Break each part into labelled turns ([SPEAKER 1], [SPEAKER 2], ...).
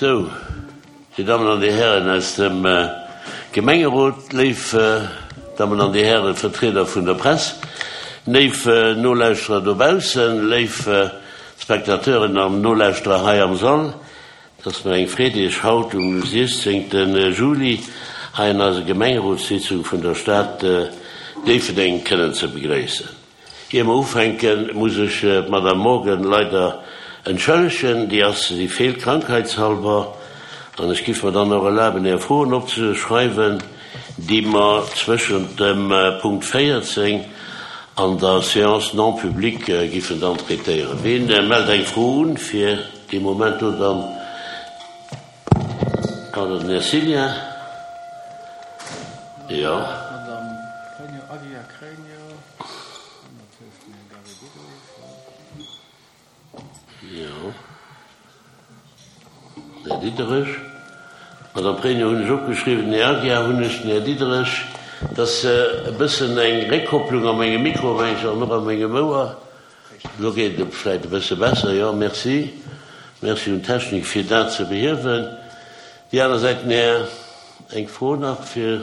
[SPEAKER 1] Sou, Dir Dammen an Dir Hären aus dem Gemengerot, léif Dammen an Dir Hären Vertrieder vun der Press, léif Nolauschterer dobaussen, léif Spectateuren an Nolauschterer hei am Sall, Et ass mir eng Freed, Iech haut um 16. Juli hei an eiser Gemengerotssitzung vun der Stad Déifferdeng kënnen ze begréissen. Ier mer ufänken, muss ech d'Madame Morgan leider entschëllegen. Déi ass, si feelt krankheitshalber. An ech giff mer dann och erlaben, Är Froen opzeschreiwen, déi mer zwëschent dem Punkt 14 an der Séance non publique giffen dann traitéieren. Ween mellt eng Fro un fir dee Moment do dann? Pardon, den Här Cillien. Jo. Jo. Den Här Diderich. D'Madame Pregno hunn ech opgeschriwwen, den Här Aguiar hunn ech, den Här Diderich. Et ass e bëssen eng Réckkopplung a mengem Mikro, meng ech, an och a mengem Ouer. Elo geet et vläicht e bësse besser. Jo, merci. Merci un d'Technik, fir dat ze behiewen. Déi aner Säit, den Här, eng Fro nach fir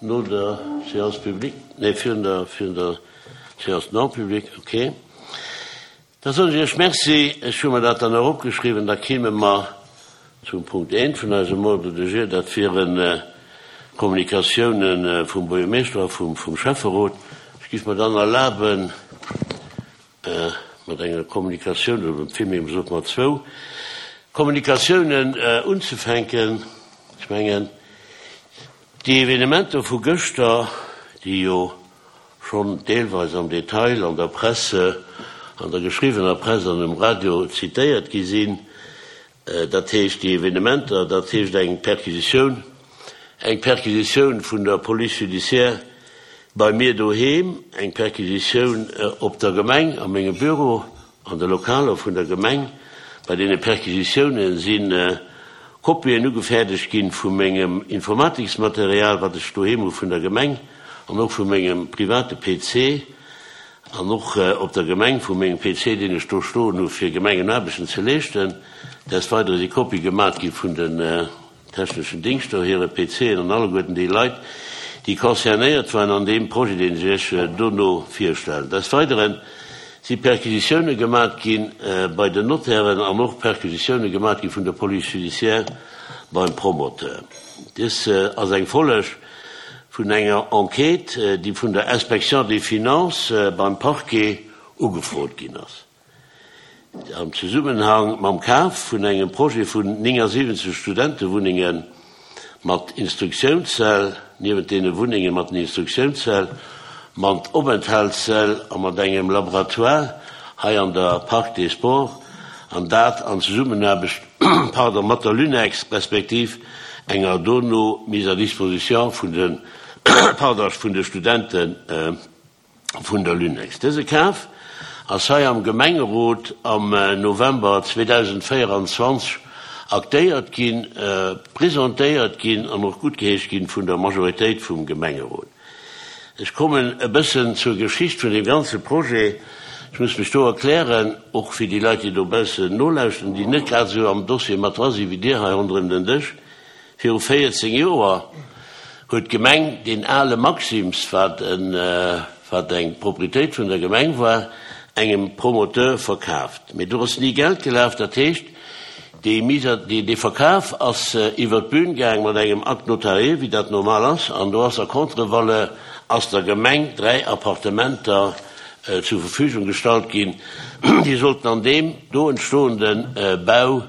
[SPEAKER 1] no der Séance publique, nee, virun der, virun der Séance non publique, okay. Da soen ech Iech Merci. Ech hu mer dat dann och opgeschriwwen. Da kéime mer zum Punkt eent vun eisem Ordre du jour. Dat wieren d'Kommunikatiounen vum Buergermeeschter a vum Schäfferot. Ech géif mer dann erlaben, mat enger Kommunikatioun, oder villméi gesot mat zwou Kommunikatiounen unzefänken. Ech mengen, déi Evenementer vu gëschter, déi jo schonn deelweis am Detail an der Presse, an der geschriwwener Press an um Radio zitéiert gi sinn, dat heescht déi Evenementer, dat heescht eng Perquisitioun, eng Perquisitioun vun der Police judiciaire bei mir doheem, eng Perquisitioun op der Gemeng, a mengem Büro, an de Lokaler vun der Gemeng. Bei deene Perquisitiounen si Kopien ugefäerdegt ginn vu mengem Informatiksmaterial, wat ech doheem hu vun der Gemeng, an och vu mengem private PC. An och op der Gemeng vu mengem PC, deen ech do stoen hu fir Gemengenaarbechten ze leeschten. Des Weidere si Kopie gemat gi vun den techneschen Dingschter hire PCen an alleguerten déi Leit, déi concernéiert waren an deem Projet, deen ech Iech dono virstellen. Des Weidere si Perquisitioune gemat gi bei den Notairen an och Perquisitioune gemat gi vun der Police judiciaire beim Promoteur. Dës ass eng Folleg vun enger Enquête, déi vun der Inspection des Finances beim Parquet ugefrot ginn ass, am Zesummenhang mam Kaf vun engem Projet vun 79 Studentewunnenge mat Instruktiounssäll, niewent deene Wunnenge mat den Instruktiounssäll, mat Openthaltssäll a mat engem Laboratoire hei an der Parc des Sports, an dat an Zesummenaarbecht, pardon, mat der Lunex respektiv enger dono Mise à disposition vun de, pardon, vun de Studente vun der Lunex. Dëse Kaf ass hei am Gemengerot am November 2024 aktéiert ginn, presentéiert ginn an och guttgeheescht ginn vun der Majoritéit vum Gemengerot. Ech kommen e bëssen zur Geschicht vun deem ganze Projet. Ech muss mech do erklären, och fir déi Leit, déi dobaussen nolauschteren, déi net grad esou am Dossier mat dra sinn wéi Dir hei ronderëm den Dësch. Viru 14 Joer huet d'Gemeng deen ale Maxim's, wat wat eng Proprietéit vun der Gemeng war, engem Promoteur verkaaft. Mee do ass ni Geld gelaf. Dat heescht, Déi Mise à, dee Verkaf ass iwwert d'Bühn gaang mat engem Acte notarié, wéi dat normal ass, an do ass a Contre-valeur ass der Gemeng 3 Appartementer zur Verfügung gestallt ginn, déi sollten an deem do entstoende Bau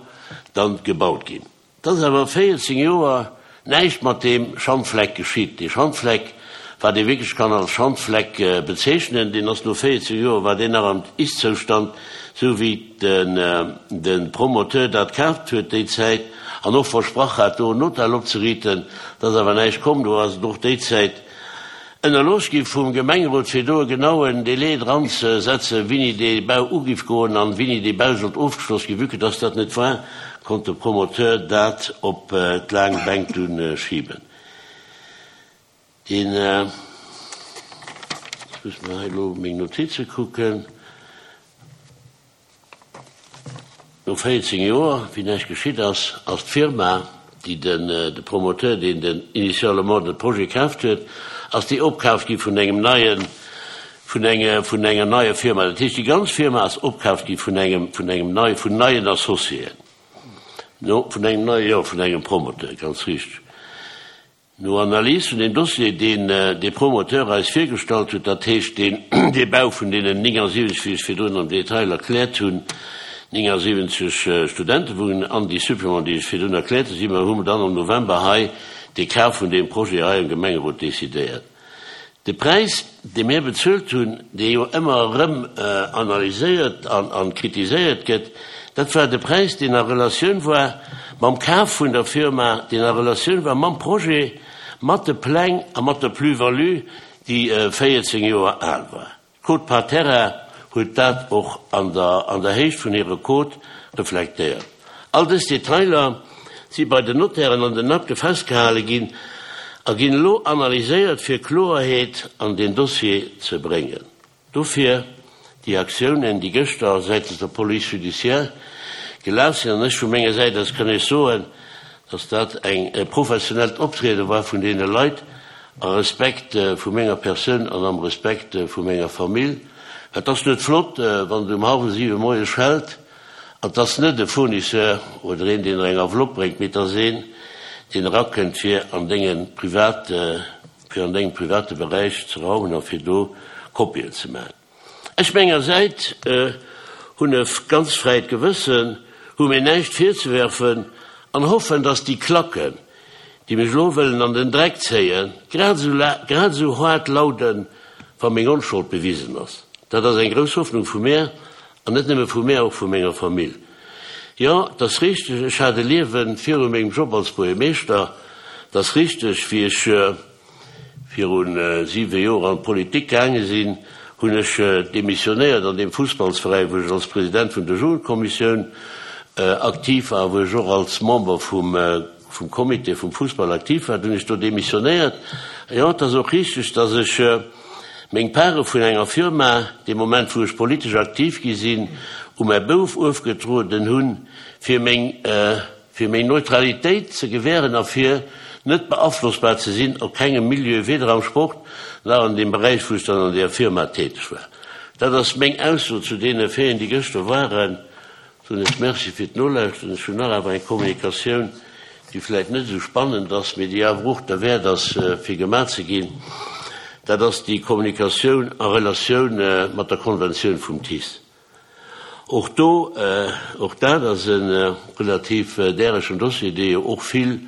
[SPEAKER 1] dann gebaut ginn. Et ass awer 14 Joer näischt mat deem Schandfleck geschitt. Dee Schandfleck, wat ee wierklech kann als Schandfleck bezeechnen, deen ass no 14 Joer war deen nach am Ist-Zoustand, esou wéi de Promoteur dat kaaft huet déi Zäit an och versprach hat, do en Hotel opzeriiten. Et ass awer näischt komm. Do ass et och déi Zäit ënnerlooss gi vum Gemengerot, fir do e genauen Délai dran ze setzen, wéini dee Bau ugiff goen an wéini dee Bau sollt ofgeschloss ginn. Vue que dass dat net war, konnt de Promoteur dat op d'laang Bänk dunn schiben. Deen, ech muss mer hei elo meng Notize kucken. No 14 Joer, wéi näischt geschitt ass, ass d'Firma, déi den, de Promoteur, deen den initialement de Projet kaaft huet, ass déi opkaaft gi vun engem neien, vun enge, vun enger neier Firma. Dat heescht, déi ganz Firma ass opkaaft gi vun engem, vun engem nei, vun neien Associéen, no, vun engem neie, jo, vun engem Promoteur, ganz richteg. No Analys vun deem Dossier, deen dee Promoteur eis virgestallt huet, dat heescht deen dee Bau vun deenen 79, wéi ech virdrun am Detail erkläert hunn, 79 Studentewunnengen an déi Supplémenten, déi ech virdrun erkläert hunn, si mer, hu mer dann am November hei dee Kaf vun deem Projet hei am Gemengerot decidéiert. De Präis, dee mir bezuelt hunn, dee jo ëmmer erëm analyséiert an kritiséiert gëtt, dat war de Präis, deen a Relatioun war mam Kaf vun der Firma, deen a Relatioun war mam Projet, mat de Pläng a mat der Plus-value, déi 14 Joer al war. D'Quote par terrain huet dat och an der an der Héicht vun hire Quote reflektéiert. All dës Detailer si bei den Notairen an den Akte festgehale ginn a ginn elo analyséiert fir Kloerheet an deen Dossier ze bréngen. Dofir déi Aktiounen, déi gëschter säitens der Police judiciaire gelaf sinn. An ech vu menger Säit aus kann Iech soen, dass dat eng e professionellt Optriede war vun deene Leit, A Respekt vu menger Persoun an am Respekt vu menger Famill. Et ass net flott, wann et um hallwer siwe moies schellt an et ass net e Fournisseur oder een, deen der eng Enveloppe bréngt, mee et ass een, deen erakënnt, fir an denge private, fir an dengem private Beräich ze raumen a fir do Kopien ze maachen. Ech menger Säit hunn e ganz fräit Gewëssen, hu mir näischt virzewerfen an hoffen, dass déi Klacken, déi mech elo wëllen an den Dreck zéien, grad esou haart lauden, wa meng Onschold bewisen ass. Dat ass eng grouss Hoffnung vu mär, an net nëmme vu mär, och vu menger Famill. Jo, 't ass richteg, ech hat e Liewe viru mengem Job als Buergermeeschter. 't ass richteg, wéi ech. Viru 7 Joer an d'Politik gaange sinn, hunn ech demissionéiert an deem Fussballsveräin, wou ech als President vun der Jugendkommissioun aktiv war a wou ech och als Member vum vum Comité vum Fussball aktiv war. Dunn hunn ech do demissionéiert. Jo, et ass och richteg, datt ech meng Pare vun enger Firma, dee Moment wou ech politesch aktiv gi sinn, u mäi Bouf ofgetrueden hunn, fir meng fir méi Neutralitéit ze gewähren a fir net beaflossbar ze sinn op kengem Milieu, weder am Sport nach an deem Beräich, wou ech dann an deeër Firma täteg war. Dat ass meng Ausso zu deene Faiten, déi gëschter waren. Soen ech Merci fir d'Nolauschteren. Ech hunn nach awer eng Kommunikatioun, déi vläicht net esou spannend ass, mee déi awer och derwäert ass, fir gemaach ze ginn. Dat ass déi Kommunikatioun a Relatioun mat der Konventioun vum TICE. Och do, och dat ass e relativ däregen Dossier, dee jo och vill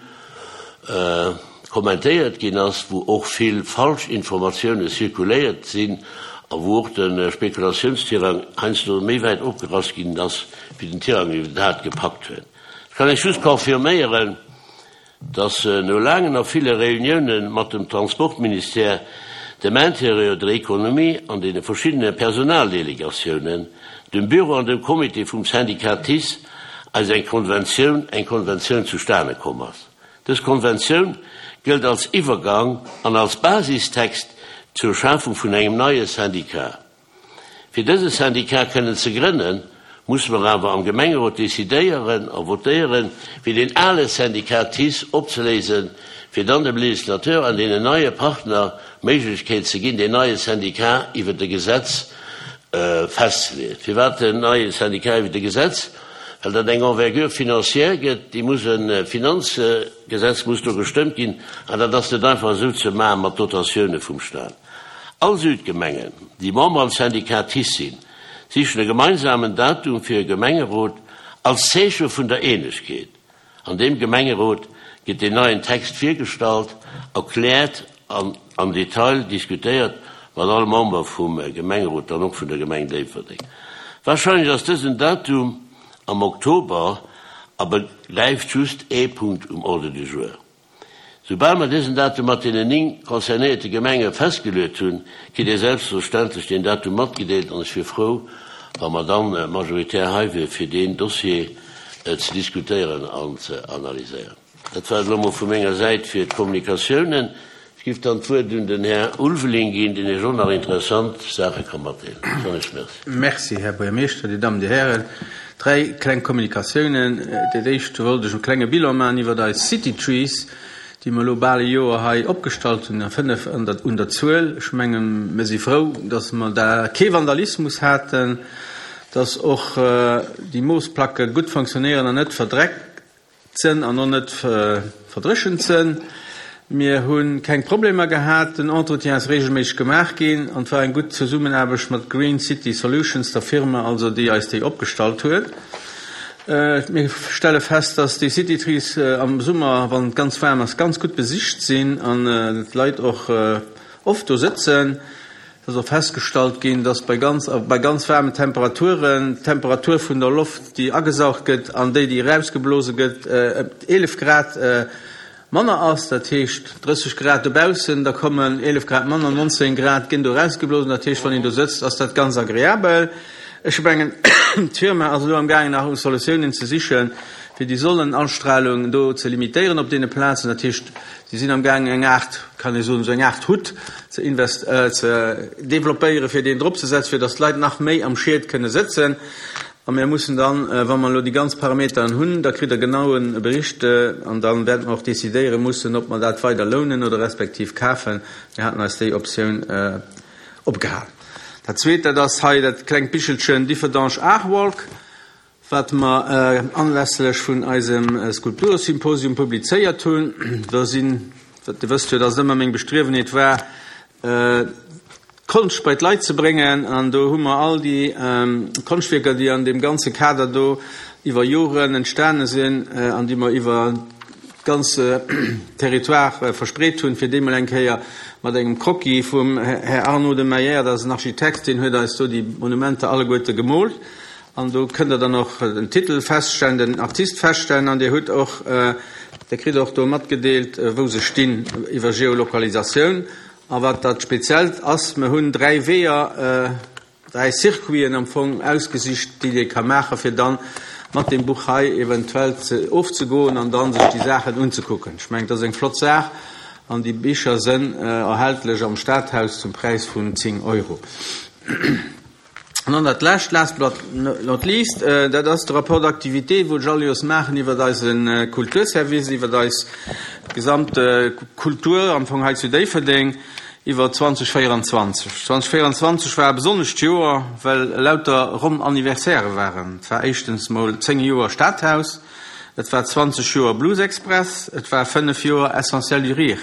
[SPEAKER 1] kommentéiert ginn ass, wou och vill falsch Informatioune zirkuléiert sinn a wou och de Spekulatiounsterrain heiansdo méi wäit opgerass ginn ass, wéi den Tirang iwwerhaapt gepackt huet. Ech kann Iech just confirméieren, dass no laangen a ville Reuniounen mat dem Transportministère, dem Intérieur, der Économie an deene verschiddene Personaldelegatiounen, dem Büro an dem Comité vum Syndicat TICE eis eng Konventioun eng Konventioun zustane komm ass. Dës Konventioun gëllt als Iwwergang an als Basistext zur Schafung vun engem neie Syndicat. Fir dëse Syndicat kënnen ze grënnen, musse mer awer am Gemengerot decidéieren a votéieren, fir deen ale Syndicat TICE opzeléisen, fir dann dem Législateur an deenen neie Partner d'Méiglechkeet ze ginn, deen neie Syndicat iwwert e Gesetz festzeleeën. Firwat en neie Syndicat iwwert e Gesetz? Well dat eng Envergure financière gëtt, déi muss e Finanzgesetz muss do gestëmmt ginn, an dat ass net einfach esou ze maache mat Dotatioune vum Stat. All Südgemengen, déi Member am Syndicat TICE sinn, sichen e gemeinsamen Datum fir e Gemengerot als Zeeche vun der Eenegkeet. An deem Gemengerot gëtt deen neien Text virgestallt, erkläert an am Detail diskutéiert mat all Member vum Gemengerot, dann och vun der Gemeng Déifferdeng. Warscheinlech ass dësen Datum am Oktober a begräift just ee Punkt um Ordre du jour. Soubal mer dësen Datum mat deenen 9 concernéierte Gemenge festgeluet hunn, kritt Dir selbstverständlech deen Datum matgedeelt an ech wier frou, wa mer dann majoritär hei wier fir deen Dossier ze diskutéieren an ze analyséieren. Dat war et elo mol vu menger Säit fir d'Kommunikatiounen. Ech giff dann d'Wuert un den Här Ulveling ginn, deen Iech och nach interessant Saache ka matdeelen. Ech soen Iech Merci.
[SPEAKER 2] Merci, Här Buergermeeschter, Dir Dammen, Dir Hären. Dräi kleng Kommunikatiounen. Dat éischt wollt ech e klenge Bilan maachen iwwert eis City Trees, déi mer elo bal e Joer hei opgestallt hunn, a 5 an der un der Zuel. Ech mengen, mir si frou, dass mer da kee Vandalismus haten, dass och déi Moosplacke gutt fonctionnéieren an net verdreckt Sënn an och net verdréchent sënn. Mir hu keng Problemer gehat, den Entretien ass reegelméisseg gemaach ginn an et war eng gutt Zesummenaarbecht mat Green City Solutions, der Firma also, déi eis déi opgestallt huet. Mir stelle fest, dass déi City Trees am Summer, wann et ganz waarm ass, ganz gutt besicht sinn an d'Leit och oft do sëtzen. Et ass och festgestallt ginn, dass bei ganz bei ganz waarmen Temperaturen d'Temperatur vun der Loft, déi agesaugt gëtt, an déi, déi erausgeblose gëtt, ëm 11 Grad manner ass. Dat heescht, 30 Grad dobaussen, da kommen 11 Grad manner, 19 Grad ginn do erausgeblosen. Dat heescht, wann een do sëtzt, ass dat ganz agreabel. Ech mengen, d'Firma ass elo amgaangen, nach no Solutiounen ze sichen, fir déi Sonnenanstrahlung do ze limitéieren op deene Plazen. Dat heescht, Si sinn am gaangen eng Aart, kann ee soen, esou eng Aart Hutt ze invest, ze developpéieren, fir deen drop ze setzen, fir datt d'Leit nach méi am Schied kënne sëtzen. A mir mussen dann, wa mer elo déi ganz Parameteren hunn, da kritt Der genaue Bericht an da wäerte mer och decidéiere mussen, ob mer dat weider lounen oder respektiv kafen. Mir haten eis déi Optioun opgehalen. Dat Zweet, dat ass hei dat klengt Bichelchen Differdange Aarwalk. Wat mer anlässlech vun eisem Skulpturesymposium publizéiert hunn, do sinn, Dir wësst jo, dass et ëmmer meng Bestriewenheet war, d'Konscht bei d'Leit ze bréngen, an do hu mer all déi Konschtwierker, déi an deem ganze Kader do iwwer Joren entstane sinn an déi mer iwwer d'ganze Territoire verspreet hunn, fir déi mol eng Kéier mat engem Croquis vum Här Arnaud de Meyer, dat ass en Architekt, deen huet eis do déi Monumenter alleguerte gemoolt, An do kënnt Der dann och den Titel feststellen, den Artist feststellen an Dir hutt och, Dir kritt och do matgedeelt, wou se stinn iwwer Geolokalisatioun. A wat dat Speziellt ass, mer hunn dräi Weeër, dräi Circuiten am Fong ausgesicht, déi Dir ka maachen, fir dann mat deem Buch hei eventuell ze ofzegoen an dann sech déi Saachen unzekucken. Ech mengen, dat ass eng flott Saach an déi Bicher sënn erhältlech am Stadhaus zum Präis vun 10 Euro. An dann dat Lescht, last but not least, dat ass de Rapport d'activité, wou ech all Joers maachen iwwert eise Kulturservice, iwwert eis gesamt Kultur am Fong hei zu Déifferdeng iwwer 2024. 2024 war e besonnescht Joer, well lauter ronn Anniversairë waren. Et war éischtens mol 10 Joer Stadhaus, et war 20 Joer Blues Express, et war 5 Joer Essentiel du Rire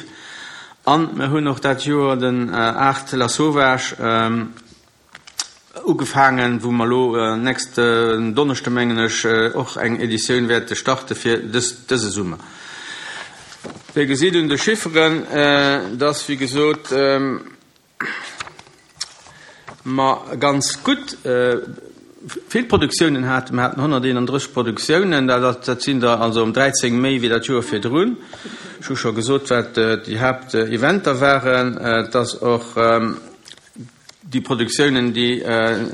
[SPEAKER 2] an mir hunn och dat Joer den Art Lasauvage, Ugefaangen, wou mer elo nächsten Donneschde mengen ech och eng Editioun wäerte starte fir dëse Summer. Dir gesitt un de Chifferen, dass wéi gesot mer ganz gutt vill Produktiounen haten. Mer haten 131 Produktiounen, dat sinn der also ëm 13 méi wéi dat Joer virdrun. Ech hu scho gesot, wat déi Haapteventer waren. Et ass och Déi Produktiounen, déi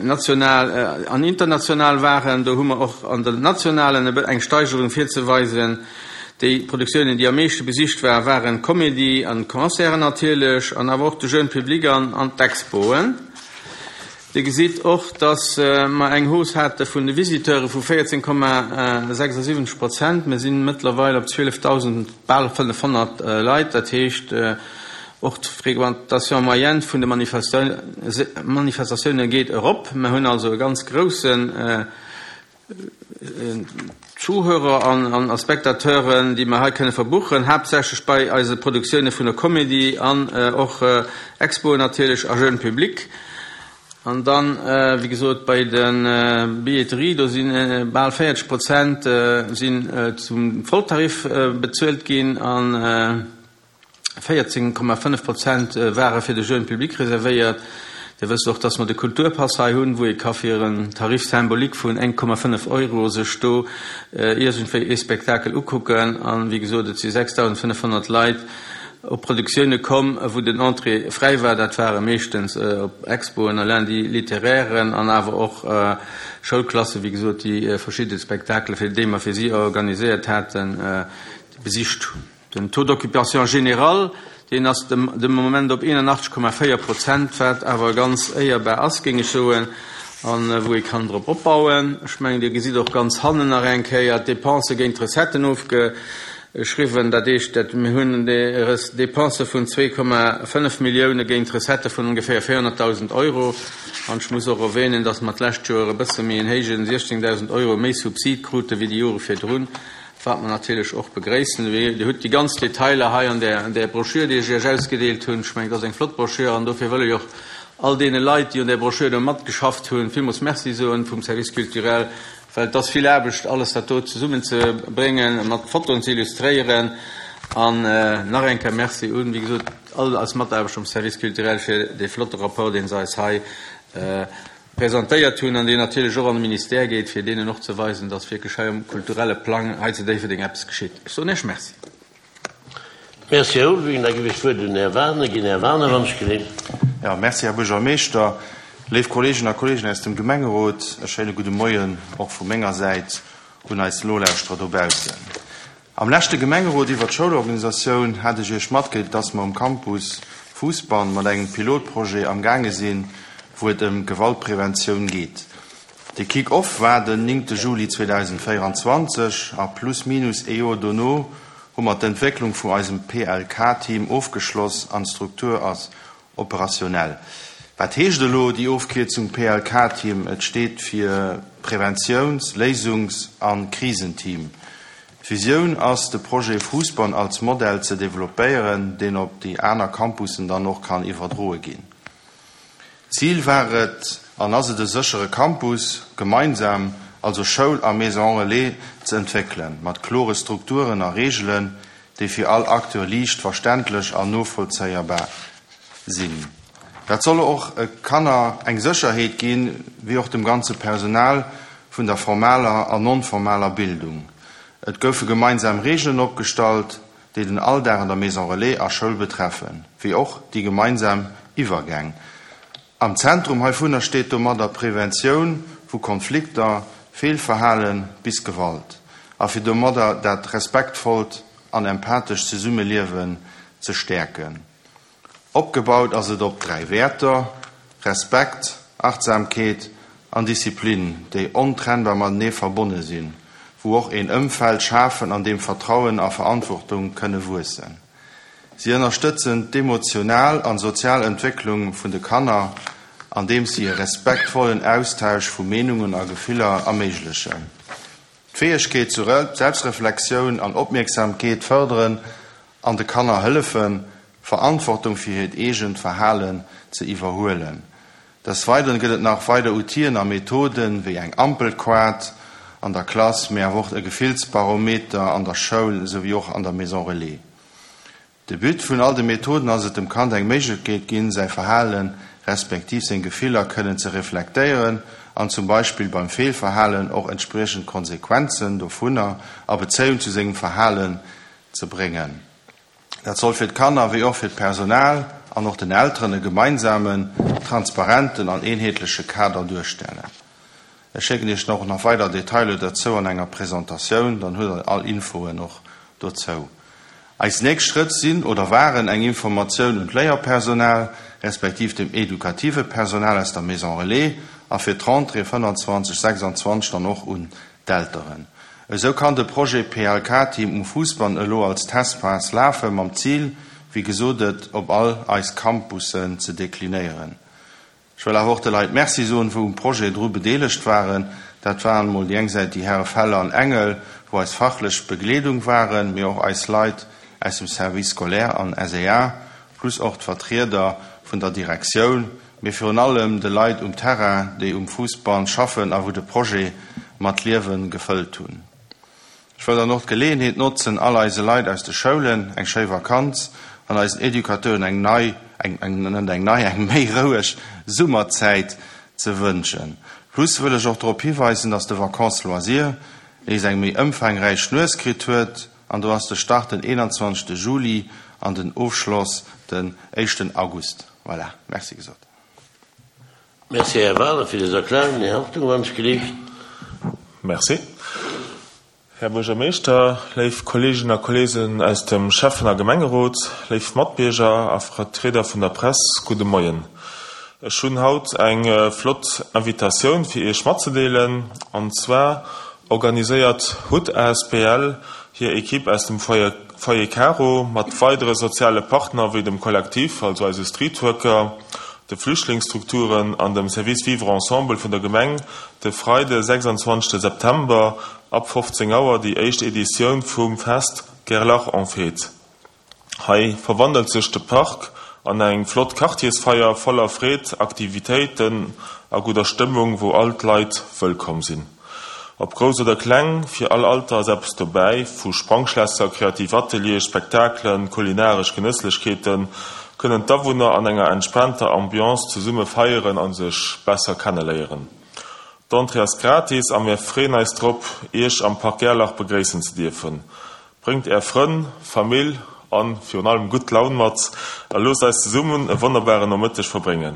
[SPEAKER 2] national an international waren, do hu mer och an den nationalen eng Steigerung virzeweisen. Déi Produktiounen, déi am meeschte besicht waren, waren d'Comédie an d'Concerten natierlech an awer och de Jeune Public an d'Expoen. Dir gesitt och, dass mer eng Hausse hate vun de Visiteure vu 14,76 Prozent. Mir si mëttlerweil op 12.000, bal 500 Leit. Dat heescht, Och d'Fréquentation moyenne vun de Manifestatioune geet erop. Mer hunn also e ganz groussen Zuhörer an Spectateuren, déi mer hei kënne verbuchen, haaptsächlech bei eise Produktioune vun der Comédie an och Expoen natierlech a Jeune Public. An dann, wéi gesot, bei de Billetterie, do si bal 40 Prozent sinn zum Volltarif bezuelt ginn. 14,5 Prozent ware fir de Jeune Public reservéiert. Dir wësst och, dass mer de Kulturpass hei hunn, wou ee ka fir en Tarif symbolique vun 1,5 Euro sech do iergendwéi ee Spektakel ukucken. An, wéi gesot, et si 6.500 Leit op Produktioune komm, wou den Entrée fräi war. Dat ware meeschtens op Expoen a Lundi littéraires an awer och Schoulklassen, wéi gesot, déi verschidde Spektakele, fir déi mer fir si organiséiert haten, besicht hunn. Den Taux d'occupation général, deen ass de Moment op 81,4 Prozent, wat awer ganz éierbar ass, géing ech soen. An wou ee kann drop opbauen. Ech mengen, Dir gesitt och ganz hannen nach eng Kéier d'Dépensë géint d'Recetten ofgeschriwwen. Dat heescht, dat mir hunn Dépensë vun 2,5 Millioune géint Recettë vun ongeféier 400.000 Euro. An ech muss och erwähnen, dass mer d'lescht Joer e bësse méi en héijen, 16.000 Euro méi Subsid krute wéi déi Jore virdrun, wat mer natierlech och begréissen. Dir hutt déi ganz Detailer hei an där Broschür, déi ech Iech ausgedeelt hunn. Ech mengen, dat ass eng flott Broschür an dofir wëll ech och all deene Leit, déi un där Broschür do matgeschafft hunn, villmools Merci soen vum Service culturel, well et ass vill Aarbecht, alles dat do zesummenzebréngen, mat Fotoen ze illustréieren. An nach eng Kéier Merci un, wéi gesot, all eis Mataarbechter um Service culturel fir dee flotte Rapport, dee se eis hei presentéiert hunn an deen natierlech och an de Ministère geet, fir deenen och ze weisen, dass wierklech hei um kulturelle Plang hei zu Déifferdeng eppes geschitt. Ech soen Iech Merci.
[SPEAKER 1] Merci, Här Ulveling. Da ginn ech d'Wuert un den Här Wagener. Ginn, Här Wagener, wann ech geleent.
[SPEAKER 3] Jo, merci, Här Buergermeeschter. Léif Kolleegen a Kolleegen aus dem Gemengerot, e schéine gudde Moien och vu menger Säit un eis Nolauschterer dobaussen. Am leschte Gemengerot iwwer d'Schoulorganisatioun hat ech Iech matgedeelt, dass mer um Campus Fousbann mat engem Pilotprojet am gaange sinn, wou et ëm Gewaltpreventioun geet. De Kick-Off war den 9 Juli 2024 a plus minus ee Joer dono hu mer d'Entwécklung vu eisem PLK-Team ofgeschloss an d'Struktur ass operationell. Wat heescht elo déi Ofkierzung PLK-Team? Et steet fir Preventiouns-, Léisungs a Krisenteam. D'Visioun ass, de Projet Fousbann als Modell ze developpéieren, deen op déi aner Campussen dann och kann iwwerdroe ginn. Zil war et an ass et e séchere Campus gemeinsam, also Schoul a Maison Relais, ze entwéckelen, mat klore Strukturen a Reegelen, déi fir all Acteur liicht verständlech an novollzéierbar sinn. Dat soll och Kanner eng Sécherheet ginn, wéi och dem ganze Personal vun der formaler an non-formaler Bildung. Et goufe gemeinsam Reegelen opgestallt, déi den Alldag an der Maison Relais a Schoul betreffen, wéi och déi gemeinsam Iwwergäng. Am Zentrum heivunner steet domadder d'Preventioun vu Konflikter, Feelverhale bis Gewalt a fir domadder dat respektvollt an empathescht Zesummeliewen ze stäerken. Opgebaut ass et op 3 Wäerter, Respekt, Achtsamkeet an Disziplin, déi ontrennbar matenee verbonne sinn, wou och een Ëmfeld schafen, an deem Vertrauen a Verantwortung kënne wuessen. Si ënnerstëtzen d'emotional an sozial Entwécklung vun de Kanner, andeems si e respektvollen Austausch vu Meenungen a Gefiller erméiglechen. D'Fäegkeet zur Selbstreflexioun an Opmierksamkeet fërderen an de Kanner hëllefen, Verantwortung fir hiert eegent Verhalen ze iwwerhuelen. Des Weideren gëtt et nach weider Outien a Methoden, wéi eng Ampelkoart an der Klass, mee awer och e Gefillsbarometer an der Schoul esouwéi och an der Maison Relais. De But vun all de Methoden ass et, dem Kand eng Méiglechkeet ginn, säi Verhalen respektiv seng Gefiller kënnen ze reflektéieren an zum Beispill beim Feelverhalen och entspriechend Konsequenzen dovunner a Bezéiung zu sengem Verhalen ze bréngen. Dat soll fir d'Kanner wéi och fir d'Personal an och den Elteren e gemeinsamen, transparenten an eenheetleche Kader duerstellen. Ech schécken Iech och nach weider Detailer dozou an enger Presentatioun, dann hutt Der all Infoen och dozou. Eis nächst Schrëtt sinn oder waren eng Informatioun un d'Léierpersonal, respektiv dem edukative Personal aus der Maison Relais a fir d'Rentrée 25, 26 dann och un d'Elteren. Esou kann de Projet PLK-Team um Fousbann elo als Testphas lafen, mam Zil, wéi gesot, et op all eis Campussen ze deklinéieren. Ech wëll awer och de Leit Merci soen, wou um Projet dru bedeelegt waren. Dat waren emol déi eng Säit déi Häre Feller an Engel, wou eis fachlech Begleedung waren, mee och eis Leit aus dem Service scolaire an SEA, plus och d'Vertrieder vun der Direktioun, mee virun allem de Leit um Terrain, déi um Fuussband schaffen a wou de Projet mat Liewe gefëllt hunn. Ech wëll dann och d'Geleeënheet notzen, all eise Leit aus de Schoulen eng schéi Vakanz an eisen Educateuren eng nei, eng, net eng nei, eng méi roueg Summerzäit ze wënschen. Plus wëll ech och drop hiweisen, dass de Vacances Loisirs nees eng méi ëmfaangräich Nues kritt huet an do ass de Start den 21. Juli an den Ofschloss den éischten August. Voilà, Merci gesot.
[SPEAKER 1] Merci, Här Waler, fir dës Erklärung. Här Hartung, wann ech gelift.
[SPEAKER 4] Merci, Här Buergermeeschter, léif Kolleeginnen a Kolleegen aus dem Schäffen a Gemengerot, léif Matbierger a Vertrieder vun der Press, gudde Moien. Ech hunn haut eng flott Invitatioun fir Iech matzedeelen. An zwar organiséiert hut asbl hir Equipe aus dem Foyer Foyer Caro mat weidere soziale Partner wéi dem Kollektiv, also eise Streetworker, de Flüchtlingsstrukturen an dem Service Vivre Ensemble vun der Gemeng de Freide 26 September ab 15 Auer déi éischt Editioun vum Fest Gerlach en Fête. Hei verwandelt sech de Park an eng flott Quartiersfeier voller Freed, Aktivitéiten a gudder Stëmmung, wou all d'Leit wëllkomm sinn. Ob grouss oder kleng, fir all Alter ass eppes dobäi, vu Sprangschlässer, kreativ Ateliere, Spektakelen, kulinaresch Genësslechkeeten, kënnen d'Awunner an enger entspaanter Ambiance zesumme feieren a sech besser kenneléieren. D'Entrée ass gratis a mir freeën eis drop, Iech am Park Gerlach begréissen ze dierfen. Bréngt Är Frënn, Famill an virun allem gutt Laun mat a loosst eis zesummen e wonnerbaren Nomëtteg verbréngen.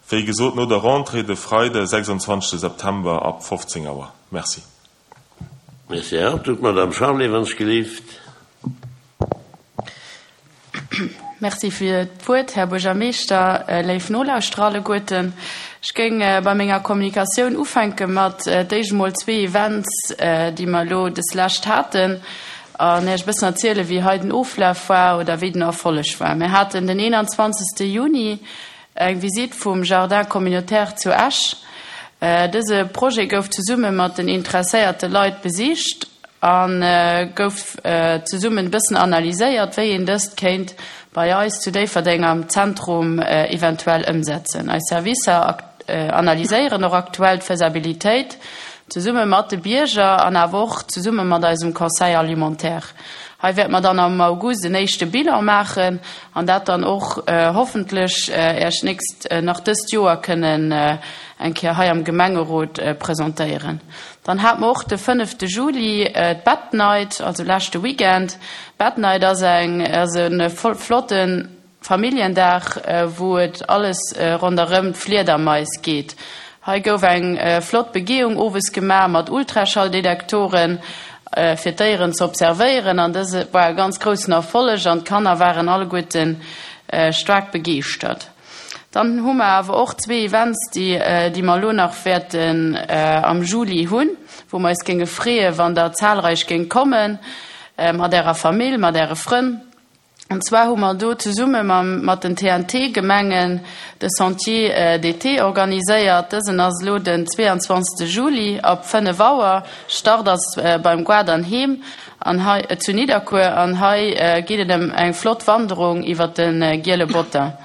[SPEAKER 4] Wéi gesot no der Rentrée de Freide 26 September ab 15 Auer. Merci.
[SPEAKER 1] Merci, Här Hartog. D'Madame Charlé, wann ech gelift.
[SPEAKER 5] Merci fir d'Wuert, Här Buergermeeschter, léif Nolauschterer alleguerten. Ech géing bei menger Kommunikatioun ufänke mat d'éischt emol zwee Events, déi mer elo des Lescht haten, an Iech e bëssen erzielen, wéi hei den Oflaf war oder wéi den Erfolleg war. Mir haten den 21. Juni Eng Visitt vum Jardin communautaire zu Esch. Dëse Projet gouf zesumme mat den interesséierte Leit besicht a gouf zesummen e bëssen analyséiert, wéi een dëst kéint bei eis zu Déifferdeng am Zentrum eventuell ëmsetzen. Eis Servicer analyséieren och aktuell d'Faisabilitéit zesumme mat de Bierger an awer och zesumme mat eisem Conseil alimentaire. Hei wäerte mer dann am August en éischte Bilan maachen an dat dann och hoffentlech Äech d'nächst, nach dëst Joer kënnen eng Kéier hei am Gemengerot presentéieren. Dann hate mer och de fënnefte Juli d'Bat Night, also leschte Weekend. D'Bat Night ass eng, ass e flotte Familljendag, wou et alles ronderëm d'Fliedermais geet. Hei gouf eng flott Begehung owes gemaach mat Ultraschalldetektoren, fir d'Déieren ze observéieren an dëse war e ganz groussen Erfolleg an d'Kanner waren alleguerte staark begeeschtert. Dann hu mer awer och zwee Events, déi déi mer elo nach wäerten am Juli hunn, wou mer eis géinge freeë wann der zahlreich géingt kommen, mat ärer Famill, mat äre Frënn. An zwar hu mer do zesumme mam, mat den TNT-Gemengen de Sentier d'été organiséiert. Dësen ass elo den 22. Juli ab 5 Auer. Start ass beim Goart an Heem an hei, zu Nidderkuer an hei geet et ëm eng flott Wanderung iwwer de Giele Botter.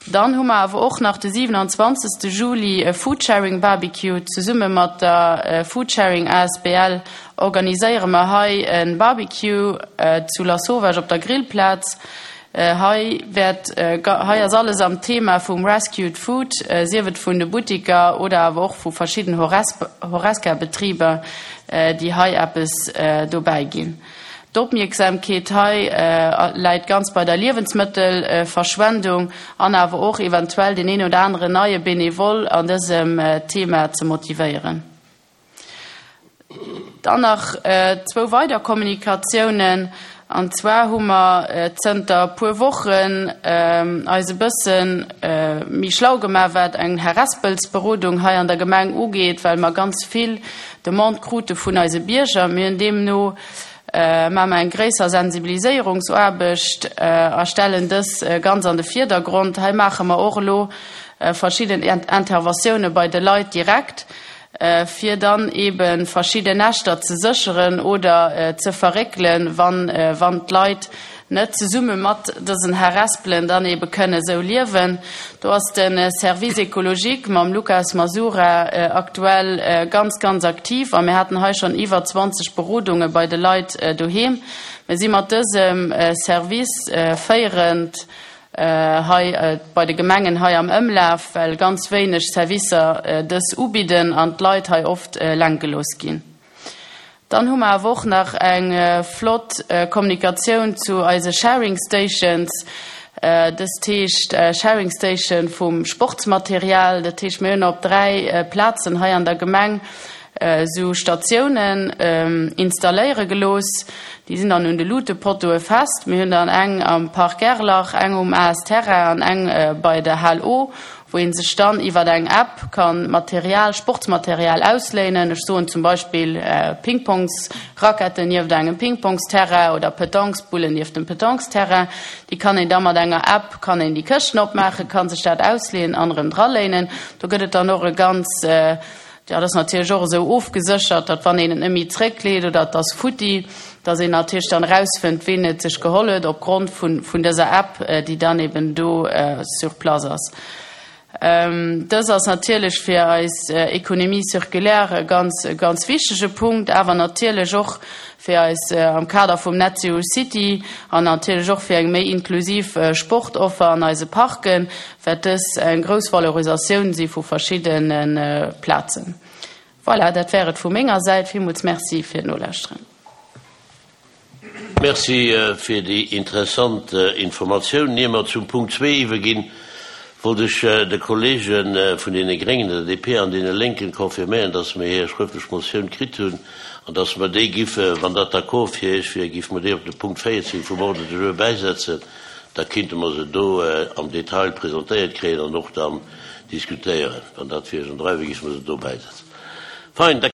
[SPEAKER 5] Dann hu mer awer och nach de 27. Juli e Foodsharing Barbecue. Zesumme mat der Foodsharing asbl organiséiere mer hei e Barbecue zu Lasauvage op der Grillplaz. Hei wäert, hei ass alles am Thema vum Rescued Food, sief et vun de Buttiker oder awer och vu verschidden Horesca-Betriber, déi hei eppes dobäi ginn. D'Opmierksamkeet hei läit ganz bei der Liewensmëttelverschwendung an awer och eventuell deen een oder aneren neie Benevole an dësem Thema ze motivéieren. Dann nach zwou weider Kommunikatiounen, An zwar hu mer zënter e puer Wochen eis e bësse méi schlau gemaach, wat eng Harespelsberodung hei an der Gemeng ugeet, well mer ganz vill Demandë krute vun eise Bierger. Mir hunn deemno maache mer eng gréisser Sensibiliséierungsaarbecht a stellen dës ganz an de Vierdergrond. Hei maache mer och elo verschidden Interventioune bei de Leit direkt, fir dann eebe verschidden Näschter ze sécheren oder ze verréckelen, wann wann d'Leit net zesumme mat dësen Harespelen dann eebe kënne sou liewen. Do ass de Service écologique mam Lukas Masura aktuell ganz, ganz aktiv a mir haten hei schonn iwwer 20 Berodunge bei de Leit doheem. Mir si mat dësem Service féierend hei bei de Gemengen hei am Ëmlaf, well ganz wéineg Servicer dës ubidden an d'Leit hei oft eleng gelooss ginn. Dann hu mer awer och nach eng flott Kommunikatioun zu eise Sharing Stations. Dëst heescht Sharing Station vum Sportsmaterial. Dat heescht, mir hunn op 3 Plazen hei an der Gemeng esou Statiounen installéiere gelooss. Déi sinn dann un de Luutepottoe fest. Mir hunn dann eng am Park Gerlach, eng um AS Terrain an eng bei der Hal O. wou ee sech dann iwwer eng App kann Material, Sportsmaterial ausléinen. Ech soen zum Beispill Pingpongsracketten nieft engem Pingpongsterrain oder Petanquesbullen nieft dem Petanquesterrain. Déi kann een da mat enger App, kann een déi Këschten opmaachen, kann sech dat ausléinen an erëm draléinen. Do gëtt et dann och e ganz, Jo, dat ass natierlech och esou ofgeséchert, datt wann een et net méi zréckleet oder et ass futti, datt een natierlech dann erausfënnt, ween et sech geholl huet opgrond vun, vun dëser App, déi dann eben do sur place ass. Dës ass natierlech fir eis Économie circulaire e ganz, e ganz wichtege Punkt, awer natierlech och fir eis am Kader vum Net Zero City an natierlech och fir eng méi inklusiv Sportoffer an eise Parken, wäert dës eng grouss Valorisatioun si vu verschiddene Plazen. Voilà, dat wär et vu menger Säit. Villmools Merci fir d'Nolauschteren.
[SPEAKER 1] Merci fir déi interessant Informatioun. Ier mer zum Punkt zwee iwwerginn, wollt ech de Kollege vun deene Gréngen, der DP an deene Lénken confirméieren, dass mer hir schrëftlech Motioun kritt hunn an dass mer déi giffe, wann dat d'accord fir Iech wier, giffe mer déi op de Punkt 14 vum Ordre du jour bäisetzen. Da kinnte mer se do am Detail presentéiert kréien an och dann diskutéieren. Wann dat fir Iech an der Rei wier, giffe mer se do bäisetzen. Fein, da.